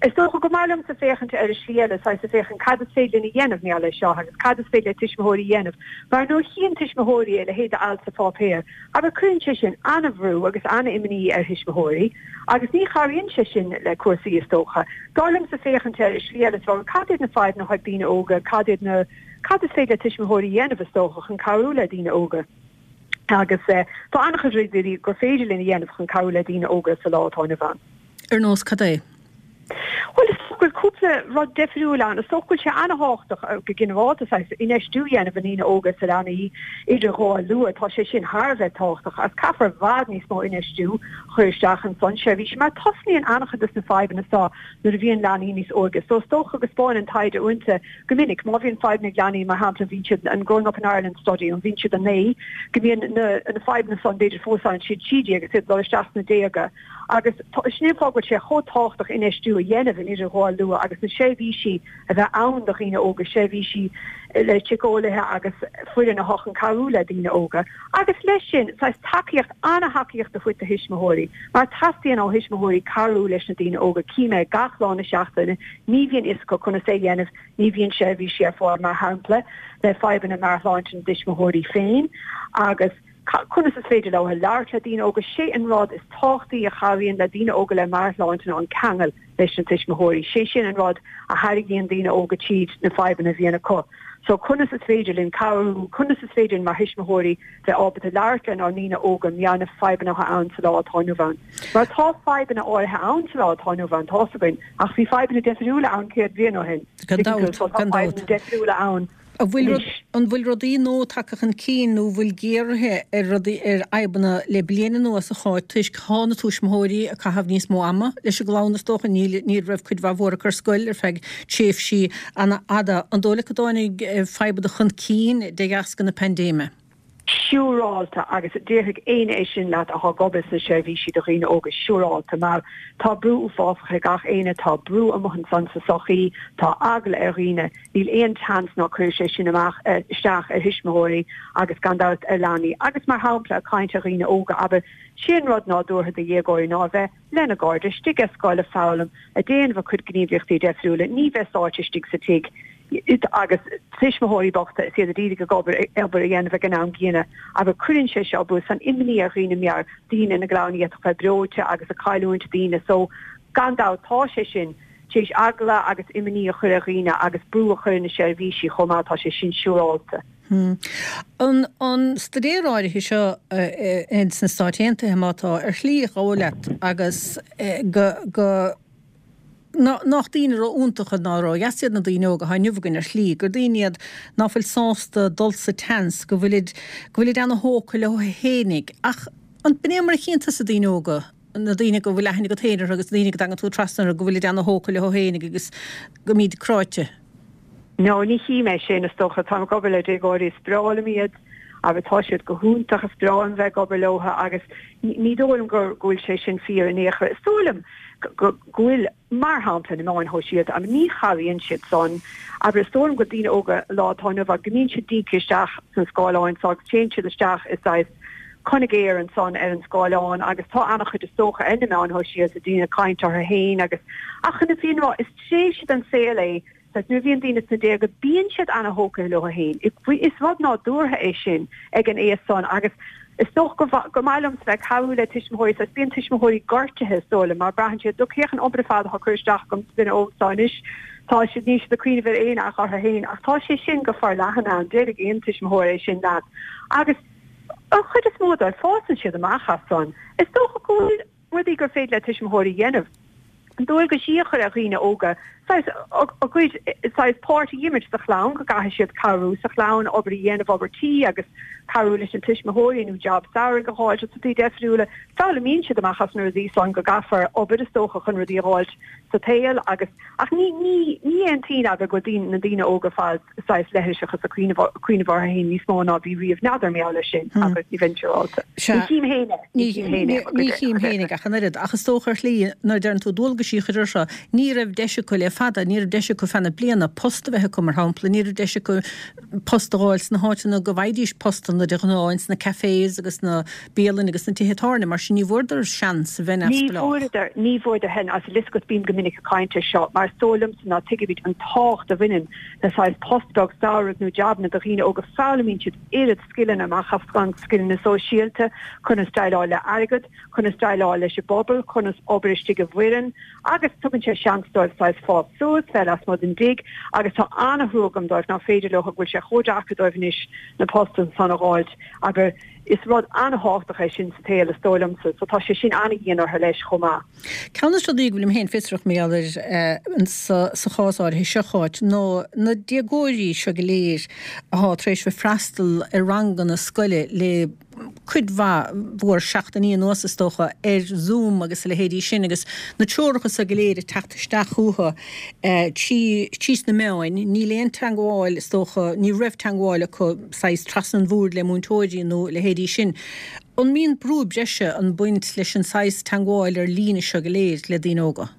S4: Is dócha go mb'fhearr liomsa féachaint ar an slí eile saghas ag féachaint cad is féidir linn a dhéanamh maidir leis seo agus cad is féidir le tuismitheoirí a dhéanamh, mar nuair a chíonn tuismitheoirí a leithéid d'alt sa pháipéar, abair cuireann sé sin an-bhrú agus an-imní ar thuismitheoirí agus ní chabhraíonn sé sin le cúrsaí is dócha. B'fhearr liomsa féachaint ar an slí eile is rá cad iad na fadhbanna atá ag daoine óga, cad iad na cad is féidir le tuismitheoirí a dhéanamh is dócha chun cabhrú le daoine óga. Agus eh, tá an-chuid rudaí gur féidir linn a dhéanamh chun cabhrú le daoine óga sa lá atá inniu ann.
S1: Ar nós cad é?
S4: Well is dócha go bhfuil cúpla rud difriúil ann. Is dócha go bhfuil sé an-tábhachtach go ginearálta saghas infheistiú a dhéanamh i ndaoine óga sa leanaí idirghabháil luath. Tá sé sin thar a bheith tábhachtach agus caithfear i bhfad níos mó infheistiú a chur isteach ansan seirbhísí mar tosnaíonn an-chuid de na fadhbanna seo nuair a bhíonn leanaí níos óige. So is dócha go spáineann taighde uaireanta go minic má bhíonn fadhbanna ag leanaí mar shampla bhíonn siad an Growing Up in Ireland study an bhíonn siad a naoi go mbíonn na na fadhbanna san b'fhéidir fós ann siad trí déag agus iad dul isteach sna déaga. Agus sin é an fáth go bhfuil sé chomh tábhachtach infheistiú a dhéanamh in idirghabháil luath agus na seirbhísí a bheith ann do dhaoine óga, seirbhísí le síceolaithe agus foireann atá chun cabhrú le daoine óga. Agus leis sin saghas tacaíocht an-tacaíocht a thabhairt do thuismitheoirí, mar teastaíonn ó thuismitheoirí cabhrú leis na daoine óga cím é gach lá na seachtaine, ní bhíonn fhios acu conas é a dhéanamh, ní bhíonn seirbhísí ar fáil mar shampla le fadhbanna meabhairshláinte na dtuismitheoirí féin agus conas is féidir leo labhairt le daoine óga sé an rud is tábhachtaí a chabhraíonn le daoine óga le meabhairshláinte ná an ceangal leis na tuismitheoirí. Sé sin an rud a tharraingíonn daoine óga tríd na fadhbanna a bhíonn acu. So conas is féidir linn cabhrú, conas is féidir mar thuismitheoirí bheith ábalta labhairt lenár ndaoine óga maidir na fadhbanna atá ann sa lá atá inniu ann. Mar tá fadhbanna áirithe ann sa lá atá inniu ann tá againn, ach bhí fadhbanna difriúla ann céad bliain ó shin.
S1: Gan dabht, gan dabht.
S4: Difriúla ann.
S1: An bhfuil an bhfuil rudaí nua tagtha chun cinn nó bhfuil géaraithe ar rudaí ar fhadhbanna le bliain anuas a Cháit toisc tá na tuismitheoirí ag caitheamh níos mó ama leis an gclann is dócha níl ní raibh cuid mhaith mhór acu ar scoil ar feadh tréimhsí an-fhada. An dóigh leat go dtáinig fadhbanna chun cinn de dheasca na paindéime?
S4: Siúrálta, agus déarfaidh éinne é sin leat atá ag obair sna seirbhísí do dhaoine óga, siúrálta, mar tá brú uafásach ar gach éinne, tá brú amuigh ansan sa sochaí, tá eagla ar dhaoine, níl aon tseans ná cuirfidh sé sin amach, isteach ar thuismitheoirí agus gan dabht ar leanaí. Agus mar shampla, ag caint ar dhaoine óga, abair, sé an rud nádúrtha do dhéagóirí ná a bheith lena gcairde istigh ar scoil ag foghlaim, ag déanamh a cuid gníomhaíochtaí deifriúla, ní bheith sáite istigh sa tigh. agus tuismitheoirí bochta is iad a d'iarraidh ag obair obair a dhéanamh ag an am gcéanna agus cuireann sé seo brú is an imní ar dhaoine mar daoine ina gclann d'fhéadfadh bheith breoite agus ag cailliúint daoine so gan dabht tá sé sin tar éis eagla agus imní a chur ar dhaoine agus brú a chur ar na seirbhísí chomh maith tá sé sin siúrálta.
S1: Hmm. An an staidéar áirithe seo ins na Stáit Aontaithe má tá ar shlí dhóigh leat agus go go nach daoine ró-iontacha ná ró-dheas iad na daoine óga atá inniu againn ar shlí, gur daoine iad ná fuil sásta dul sa tseans, go bhfuilid, go bhfuilid ana-thógtha leo fhéinig. Ach an b'in é mar a chíonn tusa daoine óga, na daoine go bhfuil aithne agat féin orthu agus na daoine go dtagann tú trasna orthu, go bhfuilid ana-thógtha leo fhéinig agus go mbíd cráite?
S4: No, ní chím é sin, is dócha. Táim ag obair le déagóirí, is breá liom iad agus tá siad go hiontach, is breá liom bheith ag obair leo agus ní dóigh liom go bhfuil sé sin fíor in aon chor. Is dóigh liom go bhfuil, mar shampla, na meáin shóisialta, agus ní chabhraíonn siad san, abair, is dóigh liom go daoine óga lá atá inniu ann, go mbíonn siad díngthe isteach sna scáileáin so agus téann siad isteach i saghas conaigéar ansan ar an scáileán agus tá an-chuid is dócha ar na meáin shóisialta, daoine ag caint orthu féin agus, ach chun na fírinne a rá, is tréimhse den saol é Saghas nuair a bhíonn daoine sna déaga bíonn siad ana-thógtha leo féin. Is rud nádúrtha é sin ag an aois san agus is dócha go gur maith liomsa bheith ag cabhrú le tuismitheoirí saghas bíonn tuismitheoirí gortaithe is dóigh liom mar braitheann siad look féach an obair ar fad atá curtha isteach agam sa duine óg seo anois tá siad níl siad ag cuimhneamh ar éinne ach orthu féin ach tá sé sin go forleathan ann déarfaidh aon tuismitheoir é sin leat agus an chuid is mó dóibh fásann siad amach as san. Is dócha go bhfuil rudaí gur féidir le tuismitheoirí a dhéanamh. Dualgaisí a chur ar dhaoine óga, saghas, a gcuid, saghas, páirt a dh'imirt sa chlann, go gcaithfidh siad cabhrú sa chlann, obair a dhéanamh, obair tí agus cabhrú leis na tuismitheoirí nó jab samhraidh a dh'fháilt agus rudaí deifriúla. Foghlaimíonn siad amach as na rudaí san go gcaithfear obair is dócha chun rudaí a dh'fháilt sa tsaol agus, ach ní, ní, ní aontaím abair go bhfuil daoine, na daoine óga fad saghas leithliseach is ag cuimhneamh, cuimhneamh orthu féin níos mó ná bhí riamh. N'fheadar mar gheall air sin abair, ní bheinn siúrálta. Ní chím féin é.
S1: Ní chím féin é. Ní chím féinig ach an oiread. Ach is dócha ar shlí nuair a deireann tú dualgaisí a chur orthu, ní raibh deis acu le fada, ní raibh deis acu feadh na bliana post a bheith acu mar shampla, ní raibh deis acu post a dh'fháil sna háiteanna go bhfaighidís postanna de ghnáth, ins na cafés agus na bialanna agus na tithe tábhairne, mar sin ní bhfuaireadar seans a bheith
S4: Ní
S1: neamhspleách.
S4: bhfuaireadar, ní bhfuaireadar féin, agus tá a fhios agat bím go minic ag caint air seo, mar is dóigh liomsa ná tuigimid an tábhacht a bhaineann le saghas post beag samhraidh nó jabanna do dhaoine óga, foghlaimíonn siad oiread scileanna amach as san, scileanna sóisialta, conas déileáil le airgead, conas déileáil leis an bpobal, conas obair istigh i bhfoireann agus tugann sé seans dóibh saghas fás suas, bheith lasmuigh den dtigh agus tá an-thrua agam dóibh nach féidir leo, go bhfuil sé chomh deacair dóibh anois na postanna san a dh'fháilt abair is rud an-thábhachtach é sin sa tsaol is dóigh liomsa so tá sé sin an-dhian orthu leis chomh maith.
S1: Ceann de na rudaí go bhfuilim féin fiosrach mar gheall air sa chás áirithe seo, a Cháit, ná na déagóirí seo go léir athá tar éis bheith freastal ar ranganna scoile le cuid mhaith mhór seachtainí anuas is dócha, ar Zoom agus a leithéidí sin agus na treoracha so go léir ag teacht isteach chucu trí trí sna meáin. Níl aon teangmháil is dócha, ní raibh teangmháil acu saghas trasna an bhoird le múinteoirí nó a leithéidí sin. An mbíonn brú breise ag baint leis an saghas teangmháil ar líne seo go léir le daoine óga?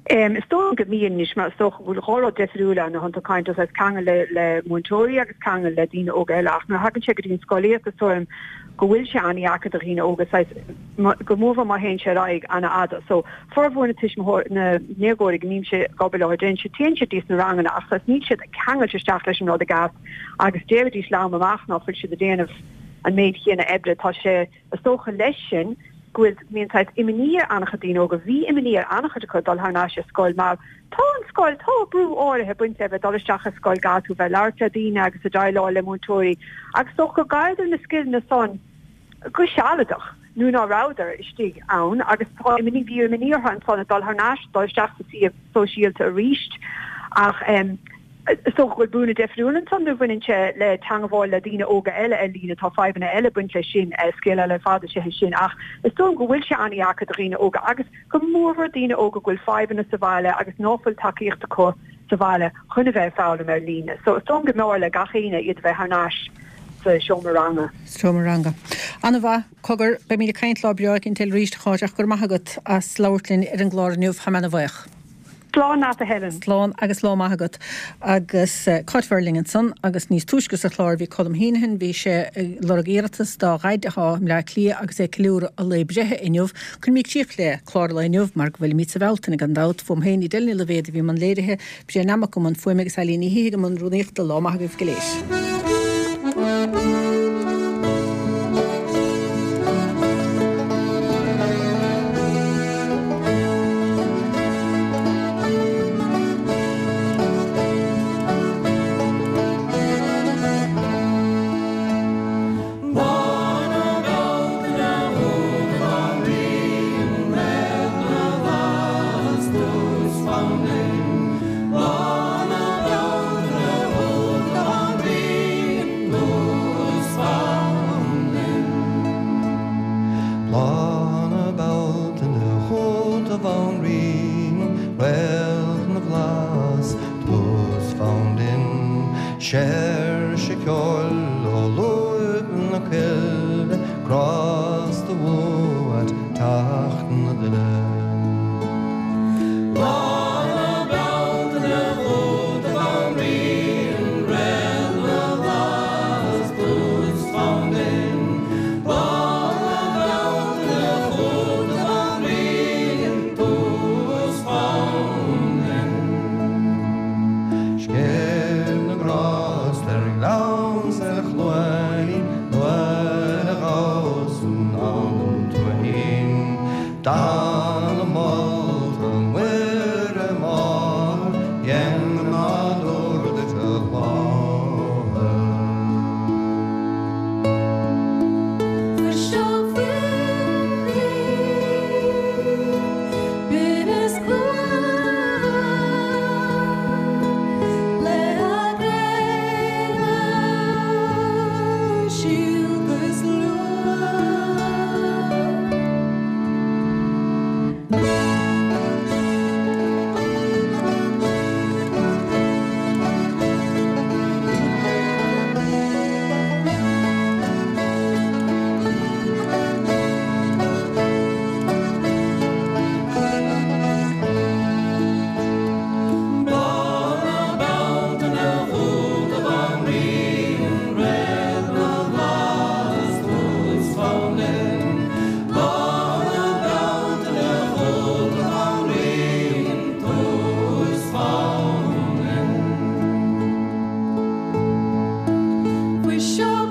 S4: Is dóigh liom go mbíonn anois mar is dócha go bhfuil dhá rud difriúil ann, tá tú ag caint saghas ceangal le le múinteoirí agus ceangal le daoine óga eile ach nuair a thagann sé go dtí an scolaíocht is dóigh liom go bhfuil sé an-dheacair do dhaoine óga saghas go mórmhór má théann sé ar aghaidh an-fhada. So formhór na tuismitheoirí na ndéagóirí go mbímse ag obair leo déanann siad téann siad dtí na ranganna ach saghas níl siad ceangailte isteach leis an rud i gceart agus déarfaidís liom amach ná fuil siad ag déanamh an méid chéanna oibre tá sé Is dócha leis sin go bhfuil, go mbíonn saghas imní ar an-chuid daoine óga, bhí imní ar an-chuid acu dul thar n-ais ar scoil mar tá an scoil, tá brú áirithe ag baint le bheith dul isteach ar scoil, caithfidh tú bheith ag labhairt le daoine agus ag déileáil le múinteoirí agus is dócha gur chailleadar na scileanna san go sealadach nuair ná rabhadar istigh ann agus tá imní, bhí imní orthu ansan ag dul thar n-ais, dul isteach sa suíomh sóisialta arís ach. Is dócha go bhfuil buanna difriúil ansan nuair a bhaineann sé le teangmháil le daoine óga eile ar líne, tá fadhbanna eile ag baint leis sin, scéal eile ar fad is ea é sin, ach is dóigh liom go bhfuil sé an-dheacair do dhaoine óga agus go mórmhór daoine óga go bhfuil fadhbanna sa bhaile agus ná fuil tacaíocht acu sa bhaile chun a bheith ag foghlaim ar líne. So is dóigh liom go mb'fhearr le gach éinne iad a bheith thar n-ais sa seomra ranga.
S1: Seomra ranga. An-mhaith. Cogar, beimid ag caint lá breá éicint eile arís, a Cháit, ach go raibh maith agat as labhairt linn ar an gclár inniu. Tá mé ana-bhuíoch.
S4: Slán leat, a Helen.
S1: Slán agus lá maith agat. Agus Cáit Verling ansan agus níos túisce sa chlár bhí Colm Heneghan, bhí sé ag lorg iarratas dá dhaid atá i mBleá Cliath agus é ag ceiliúradh a lae breithe inniu. Cuirimid críoch le clár an lae inniu mar go bhfuilimid sa Bhealtaine gan dabht. Fúm féin Edel Ní Loibhéad a bhí i mbun léirithe, Brian Nammock i mbun fuaime agus Eileen Ní Shíthigh i mbun rúnaíochta. Lá maith agaibh go léir.
S6: Fuiseog